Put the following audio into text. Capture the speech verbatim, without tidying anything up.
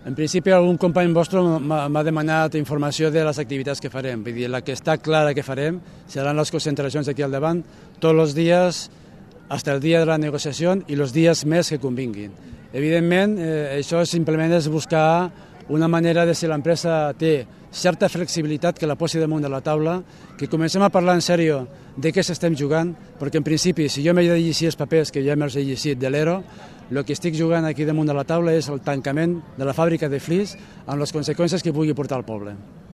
En principi, algun company vostre m'ha demanat informació de les activitats que farem. Vull dir, la que està clara que farem seran les concentracions aquí al davant tots els dies, fins el dia de la negociació i els dies més que convinguin. Evidentment, eh, això simplement és buscar una manera de si l'empresa té certa flexibilitat que la posi damunt de la taula, que comencem a parlar en sèrio de què s'estem jugant, perquè en principi, si jo m'he de llegir els papers que ja me'ls he llegit de l'E R O, el que estic jugant aquí damunt de la taula és el tancament de la fàbrica de Flix amb les conseqüències que pugui portar al poble.